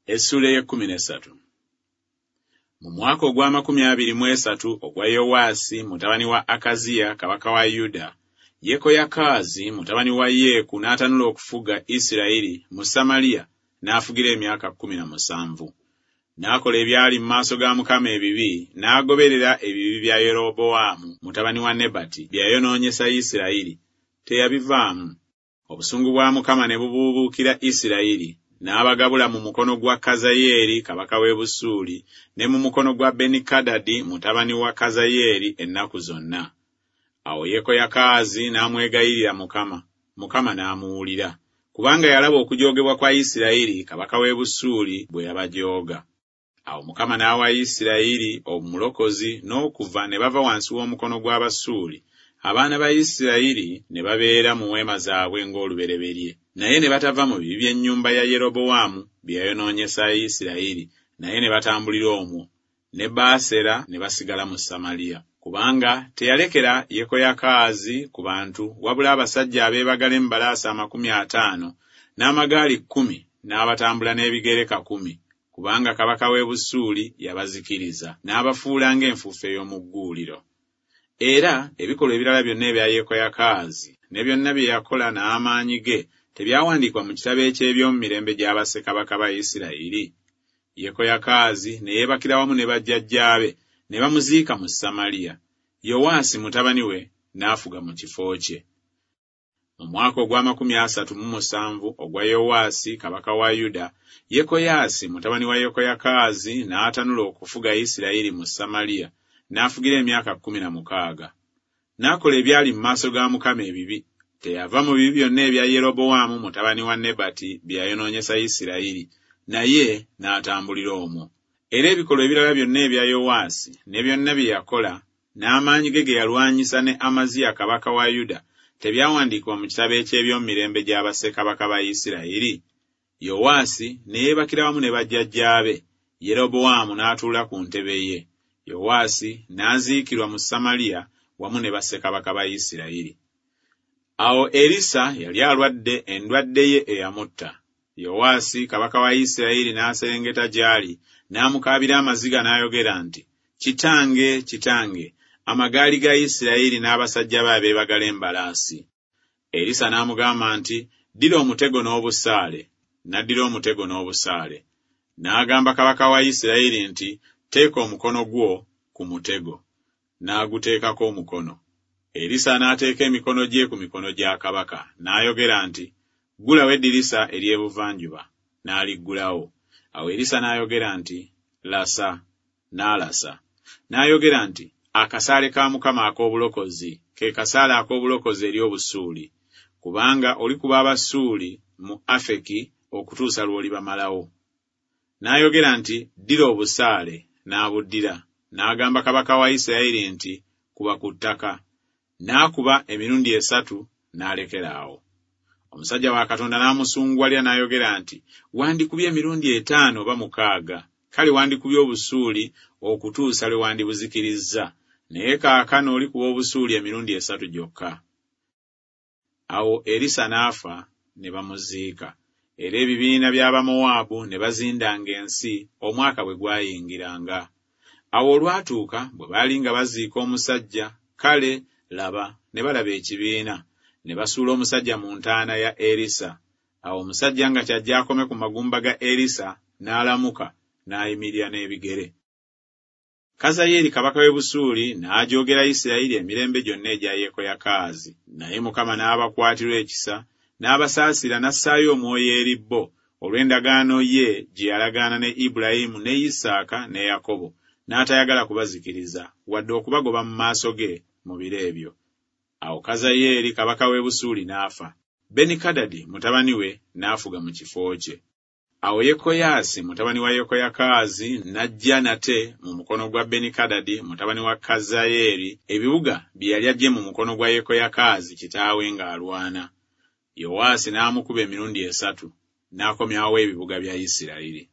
Essuula ey'ekkumi n'essatu. Mu mwaka ogw'amakumi abiri mu esatu ogwa Yowaasi mutabani wa Akaziya kabaka wa Yuda, Yekoyakaazi mutabani wa Yeeku n'atanula okufuga Isirayiri mu Samaliya, n'afugira emyaka 17. N'akola ebyali mu maaso ga Mukama ebibi, n'agoberera ebibi bya Yerobowaamu mutabani wa Nebati bye yayonoonyesa Isirayiri, teyabivaamu. Obusungu bwa Mukama ne bubuubuukira Isirayiri, n'abagabula mu mukono gwa Kazayeeri kabaka w'e Busuuli ne mu mukono gwa Benikadadi mutabani wa Kazayeeri ennaku zonna. Awo Yekoyakaazi n'amwegayirira Mukama, Mukama n'amuwulira, kubanga yalaba okujoogebwa kwa Isirayiri kabaka w'e Busuuli bwe yabajooga. Awo Mukama n'awa Isirayiri omulokozi n'okuva ne bava wansi w'omukono gw'Abasuuli, abaana ba Isirayiri ne babeera mu weema zaabwe ng'olubereberye. Naye ne batava mu bibi by'ennyumba ya Yerobowaamu bye yayonoonyesa Isirayiri, naye ne batambulira omwo, ne Baasera ne basigala mu Samaliya. Kubanga teyalekera Yekoyakaazi ku bantu wabula abasajja abeebagala embalaasi 50 n'amagaali 10 n'abatambula n'ebigere 1000, kubanga kabaka w'e Busuuli yabazikiriza, n'abafuula ng'enfuufu ey'omu gguuliro. Era ebikolwa ebirala byonna ebya Yekoyakaazi ne byonna bye yakola n'amaanyi ge tebyawandiikibwa mu kitabo eky'eby'omu mirembe gya bassekabaka ba Isirayiri? Yekoyakaazi ne yeebakira wamu ne bajjajjaabe, ne bamuziika mu Samaliya. Yowaasi mutabani we n'afuga mu kifo kye. Mu mwaka ogw'amakumi asatu mu musanvu ogwa Yowaasi kabaka wa Yuda, Yekoyaasi mutabani wa Yekoyakaazi n'atanula okufuga Isirayiri mu Samaliya, n'afugira emyaka 16. N'akola ebyali mu maaso ga Mukama ebibi, teyava mu bibi byonna ebya Yerobowaamu mutabani wa Nebati bye yayonoonyesa Isirayiri, naye n'atambulira omwo. Era ebikolwa ebirala byonna ebya Yowaasi ne byonna bye yakola, n'amaanyi ge ge yalwanyisa ne Amaziya kabaka wa Yuda, tebyawandiikibwa mu kitabo eky'eby'omu mirembe gya bassekabaka ba Isirayiri? Yowaasi ne yeebakira wamu ne bajjajjaabe, Yerobowaamu n'atuula ku ntebe ye. Yowaasi n'aziikirwa mu Samaliya wamu ne bassekabaka ba Isirayiri. Awo Erisa yali alwadde endwadde ye eyamutta. Yowaasi kabaka wa Isirayiri n'aserengeta gy'ali, n'amukaabira amaziga n'ayogera nti, Kitange, kitange, amagaali ga Isirayiri n'abasajja be abeebagala embalaasi! Erisa n'amugamba nti, Ddira omutego n'obusaale. N'addira omutego n'obusaale. N'agamba kabaka wa Isirayiri nti, Teeka omukono gwo ku mutego. N'aguteekako omukono. Erisa n'ateeka emikono gye ku mikono gya kabaka, n'ayogera nti, Ggulawo eddirisa ery'ebuvanjuba. N'aliggulawo. Awo Erisa n'ayogera nti, Lasa. N'alasa. N'ayogera nti, Akasaale ka Mukama ak'obulokozi, ke kasaale ak'obulokozi eri Obusuuli, kubanga olikuba Abasuuli mu Afeki okutuusa lw'olibamalawo. N'ayogera nti, Ddira obusaale. N'abuddira. N'agamba kabaka wa Isirayiri nti, Kuba ku ttaka. N'akuba emirundi esatu, n'alekera awo. Omusajja wa Katonda n'amusunguwalira n'ayogera nti, Wandikubye emirundi etaano oba mukaaga, kale wandikubye Obusuuli okutuusa lwe wandibuzikirizza, naye kaakano olikuba Obusuuli emirundi esatu gyokka. Awo Erisa n'afa, ne bamuziika. Era ebibiina by'Abamowaabu ne bazindanga ensi omwaka bwe gwayingiranga. Awo olwatuuka bwe baali nga baziika omusajja, kale, laba, ne balaba ekibiina, ne basuula omusajja mu ntaana ya Erisa. Awo omusajja nga kyajje akome ku magumba ga Erisa, n'alamuka, n'ayimirira n'ebigere. Kazayeeri kabaka w'e Busuuli n'ajoogera Isirayiri emirembe gyonna egya Yekoyakaazi. Naye Mukama n'abakwatirwa ekisa, n'abasaasira n'assaayo omwoyo eri bo, olw'endagaano ye gye yalagaana ne Ibulayimu ne Isaaka ne Yakobo, n'atayagala kubazikiriza, wadde okubagoba mu maaso ge mu biro ebyo. Awo Kazayeeri kabaka w'e Busuuli n'afa, Benikadadi mutabani we n'afuga mu kifo kye. Awo Yekoyaasi mutabani wa Yekoyakaazi n'aggya nate mu mukono gwa Benikadadi mutabani wa Kazayeeri ebibuga bye yali aggye mu mukono gwa Yekoyakaazi kitaawe ng'alwana. Yowaasi n'amukuba emirundi esatu, n'akomyawo ebibuga bya Isirayiri.